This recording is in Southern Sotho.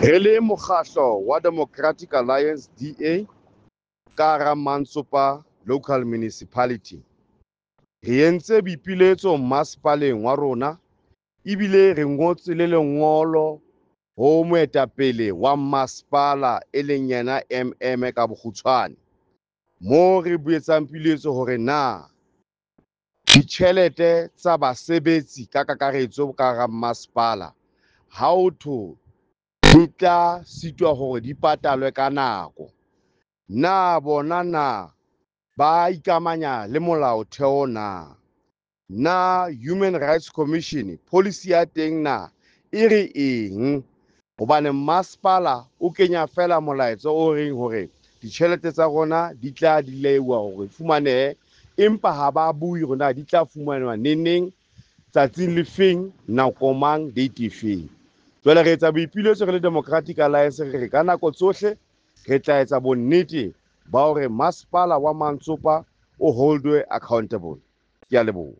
Re le mokgahlo wa Democratic Alliance, DA, ka hara Mantsopa Local Municipality, re entse boipiletso masepaleng wa rona ebile re ngotse le lengolo ho moetapele wa masepala e leng yena MM ka bokgutshwane, moo re boetsang piletso hore na ditjhelete tsa basebetsi ka kakaretso ka hara masepala ha ho thwe di tla sitwa hore di patalwe ka nako, na bona na ba ikamanya le molaotheo na? Na Human Rights Commission policy ya teng na e re eng? Hobane masepala o kenya feela molaetsa o reng hore ditjhelete tsa rona di tla dilewa hore fumanehe, empa ha ba bue hore na di tla fumanwa neneng, tsatsing le feng, nako mang, date efeng. Jwale re etsa boipiletso re le Democratic Alliance, re re ka nako tsohle re tla etsa bonnete ba hore masepala wa Mantsopa o holdwe accountable. Ke a leboha.